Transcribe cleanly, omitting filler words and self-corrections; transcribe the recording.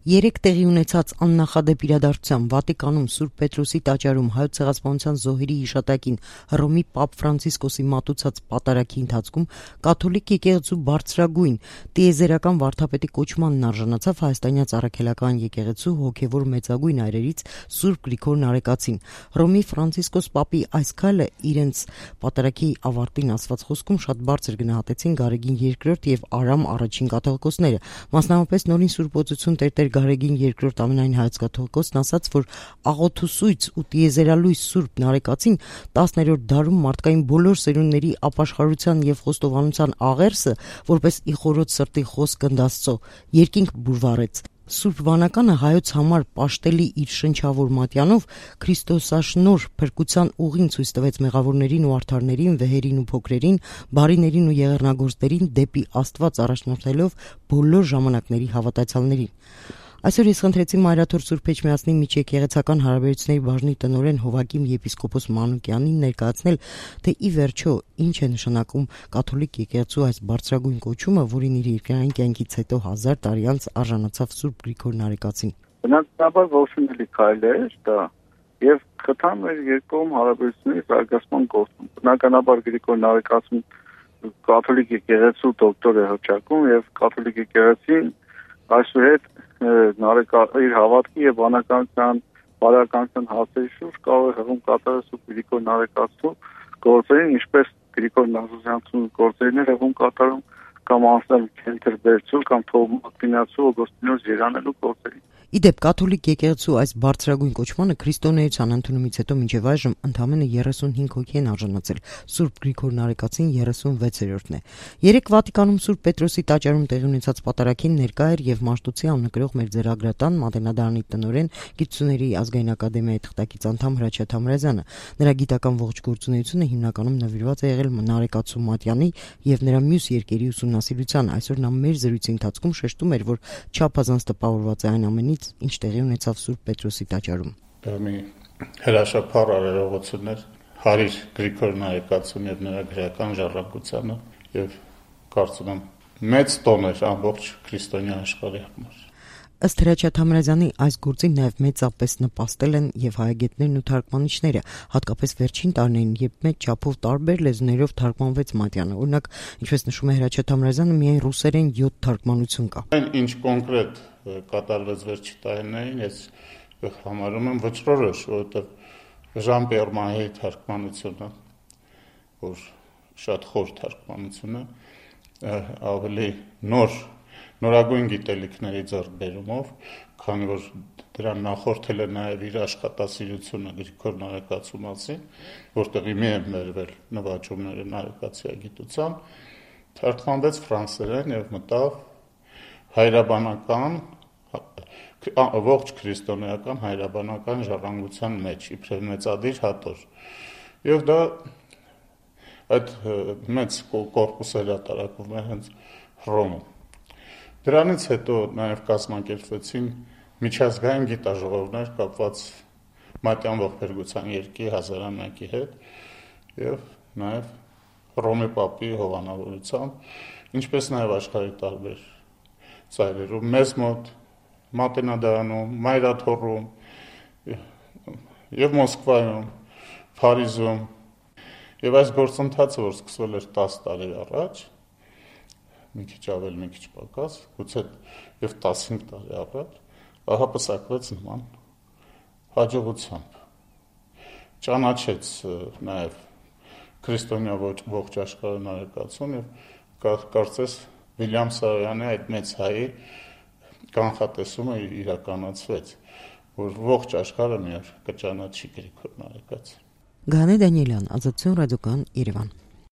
Երեկ տեղի ունեցած աննախադեպ իրադարձության Վատիկանում Սուրբ Պետրոսի տաճարում Հայոց Ցեղասպանության զոհերի հիշատակին Հռոմի Պապ Ֆրանցիսկոսի մատուցած պատարագի ընթացքում կաթոլիկ եկեղեցու բարձրագույն տիեզերական վարդապետի կոչմանն արժանացավ հայաստանյան Առաքելական եկեղեցու հոգևոր մեծագույն այրերից Սուրբ Գրիգոր Նարեկացին։ Հռոմի Ֆրանցիսկոս Պապի այս քայլը իրենց պատարագի ավարտին ասված խոսքում շատ բարձր գնահատեցին Գարեգին II եւ Արամ I կաթողիկոսները, մասնավորապես նորին Սուրբ Օծություն Տեր Գարեգին II ամենայն հայոց կաթողիկոսն ասաց, որ աղոթուսույց ու տիեզերալույս Սուրբ Նարեկացին 10-րդ դարում մարդկային բոլոր սերունդների ապաշխարության եւ խոստովանության աղերսը, որպես իխորոց սրտի խոսք Աստծո, երկինք բուրվարեց։ Սուրբ Վանականը հայոց համար պաշտելի իր շնչավոր մատյանով Քրիստոսաշնոր փրկության ուղին ցույց տվեց մեղավորներին ու արդարներին, վեհերին ու փոքրերին, բարիներին ու եղեռնագործներին դեպի Աստված առաջնորդելով բոլոր ժամանակների հավատացյալներին։ Այսօր ես խնդրեցի Մայրաթոր Սուրբ Էջմիածնի միջեկեղեցական հարաբերությունների բաժնի տնօրեն Հովակիմ եպիսկոպոս Մանուկյանին ներկայացնել, թե ի վերջո ինչ է նշանակում կաթոլիկ եկեղեցու այս բարձրագույն կոչումը, որին իր երկրային կյանքից հետո 1000 տարի անց արժանացավ Սուրբ Գրիգոր Նարեկացին։ Բնականաբար ողջունելի քայլ է դա եւ խթան մեր երկկողմ հարաբերությունների զարգացման գործում։ Բնականաբար Գրիգոր Նարեկացին կաթոլիկ եկեղեցու դոկտոր է հռչակում եւ կաթոլիկ եկեղեցին այսուհետ իր հավատքի եւ բանականության բարոյականության հասերի շուրջ կարող է հղում կատարել Սուրբ Գրիգոր Նարեկացու գործերին, ինչպես Գրիգոր Նազարյանցու գործերին է հղում կատարում կամ անձնալ քենթերբերցու կամ թողմակնացու օգոստինոս երանելու գործերին։ Իդեպ կաթոլիկ եկեղեցու այս բարձրագույն կոչմանը քրիստոնեության ընդունումից հետո մինչև այժմ ընդամենը 35 հոգի են արժանացել, Սուրբ Գրիգոր Նարեկացին 36-րդն է։ Երեկ Վատիկանում Սուրբ Պետրոսի տաճարում տեղի ունեցած պատարագին ներկա էր եւ Մաշտոցի աննկրող մեր ձեռագրատան Մատենադարանի տնօրեն Գիտությունների ազգային ակադեմիայի թղթակից անդամ Հրաչյա Թամրազյանը։ Նրա գիտական ողջ գործունեությունը հիմնականում նվիրված է եղել Նարեկացու մատյանի եւ նրա մյուս երկերի ուսումնասիրությանը։ Այսօր նա մեր զրույցի ընթացքում շեշտում էր, որ չափազանց տպավորված է այն ամենից, ինչ տեղի ունեցավ Սուրբ Պետրոսի տաճարում։ Դա մի հրաշափառ արարողություն էր Հարիր Գրիգոր Նարեկացուն եւ նրա գրական ժառանգությանը եւ կարծում եմ մեծ տոն էր ամբողջ քրիստոնյա աշխարհի համար։ Ըստ Հրաչյա Թամրազյանի այս գործին նաև մեծապես նպաստել են եւ հայագետներն ու թարգմանիչները, հատկապես վերջին տարիներին, երբ մեծ չափով տարբեր լեզուներով թարգմանվեց մատյանը։ Օրինակ, ինչպես նշում է Հրաչյա Թամրազյանը, միայն ռուսերեն 7 թարգմանություն կա։ Այն ինչ կոնկրետ կատարվեց վերջի տարիներին, ես համարում եմ վճռորոշ, որովհետեւ Ժան Պերմայի թարգմանությունը, որ շատ խոր թարգմանություն է, ավելի նորագույն գիտելիքների ձեռքբերումով, քանի որ դրան նախորդել է նաև իր աշխատասիրությունը Գրիգոր Նարեկացու մասին, որտեղի մի են մերվել նվաճումները Նարեկացի գիտության, թարգմանվեց ֆրանսերեն եւ մտավ հայրաբանական ողջ քրիստոնեական հայրաբանական ժառանգության մեջ, իբրև մեծադիր հատոր։ Եվ դա այդ մեծ կորպուսը հրատարակվում է հենց Հռոմում։ Դրանից հետո նաև կազմակերպվեցին միջազգային գիտաժողովներ կապված մատյան ողբերգության երկի հազարամյակի հետ եւ նաև Հռոմի Պապի հովանավորությամբ, ինչպես նաև աշխարհի տարբեր ծայրերում, մեզ մոտ Մատենադարանում, Մայրաթոռում եւ Մոսկվայում, Փարիզում եւ այս գործընթացը, որ սկսվել էր 10 տարի առաջ, մի քիչ ավել, մի քիչ պակաս, գուցե եւ 15 տարի առաջ, ահապսակվեց նման հաջողությամբ։ Ճանաչեց նաեւ քրիստոնյա ողջ աշխարհը Նարեկացուն եւ կարծես Վիլյամ Սարոյանի այդ մեծ հայի կանխատեսումը իրականացվեց, որ ողջ աշխարհը միայն կճանաչի Գրիգոր Նարեկացին։ Գանե Դանիելյան, Ազատություն ռադիոկան, Երևան։